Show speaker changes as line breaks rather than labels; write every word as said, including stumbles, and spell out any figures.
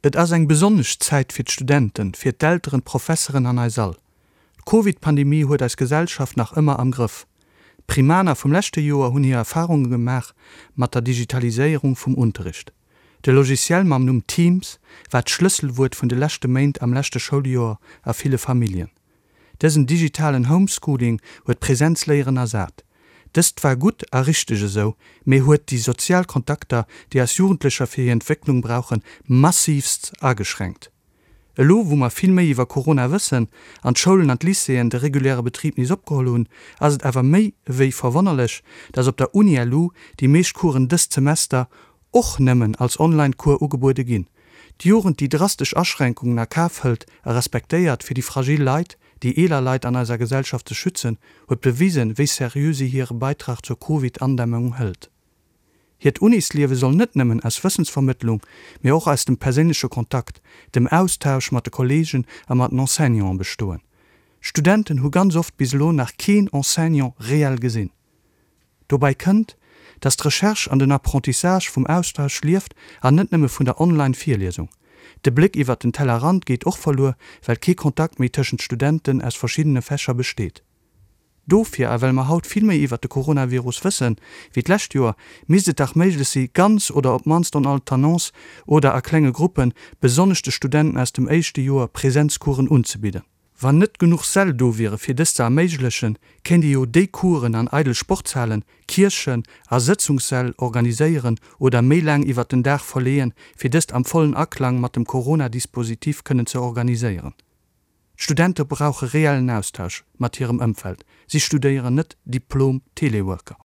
Et ass eng besonnesch Zäit fir d'Studenten, fir d'Elteren, d'Professeren an eis all. D'Covid-Pandemie huet eis Gesellschaft nach ëmmer am Grëff. D'Primaner vum leschte Joer hunn hir Erfarunge gemaach mat der Digitaliséierung vum Unterricht. De Logiciel mam Numm Teams war d'Schlësselwuert vun de leschte Méint am leschte Schouljoer a ville Familljen. Dësen digitalen Homeschooling huet d'Präsenzléieren ersat. Dëst war gutt a richteg esou, mee huet déi sozial Kontakter, déi eis Jugendlecher fir hir Entwécklung brauchen, massiivst ageschränkt. Elo wou mer vill méi iwwer Corona wëssen an d'Schoulen an d'Lycéeën de reguläre Betrib nees opgeholl hunn, ass et awer méi ewéi verwonnerlech, dass op der Uni-LU déi meescht Coursen dëst Semester och nëmmen als Online-Cours ugebuede ginn. D'Jugend, déi drastesch Aschränkungen a Kaf hëlt a respektéiert, fir déi fragil Leit, déi eeler Leit an eiser Gesellschaft ze schützen, huet bewisen, wéi seriö si hire Beitrag zur Covid-Andämmung hëlt. Hiert Unisliewe soll net nëmmen aus Wëssensvermëttlung, mee och aus dem perséinleche Kontakt, dem Austausch mat de Kolleegen a mat den Enseignanten bestoen. D'Studenten hu ganz oft bis elo nach keen Enseignant reell gesinn. Dobäi kënnt, dass d'Recherche an den Apprentissage vum Austausch lieft an net nëmme vun der Online-Virliesung. De Bléck iwwert den Tellerrand geet och verluer, well kee Kontakt méi tëschent Studenten aus verschiddene Fächer besteet. Dofir, a well mer haut vill méi iwwert de Coronavirus wëssen, wéi d'lescht Joer, misst et dach méiglech si, ganz oder op d'mannst en alternance oder a klenge Gruppen, besonnesch de Studenten aus dem éischte Joer, Präsenzcoursen unzebidden. Wann net genuch Säll do wiere fir dëst ze erméiglechen, kéint ee jo déi Coursen an eidel Sportshalen, Kierchen a Sëtzungssäll organiséieren oder méi laang iwwert den Dag verleeën, fir dëst am vollen Aklang mat dem Corona-Dispositif kënnen ze organiséieren. D'Studente brauche reellen Austausch mat hirem Ëmfeld, si studéieren net Diplom-Teleworker.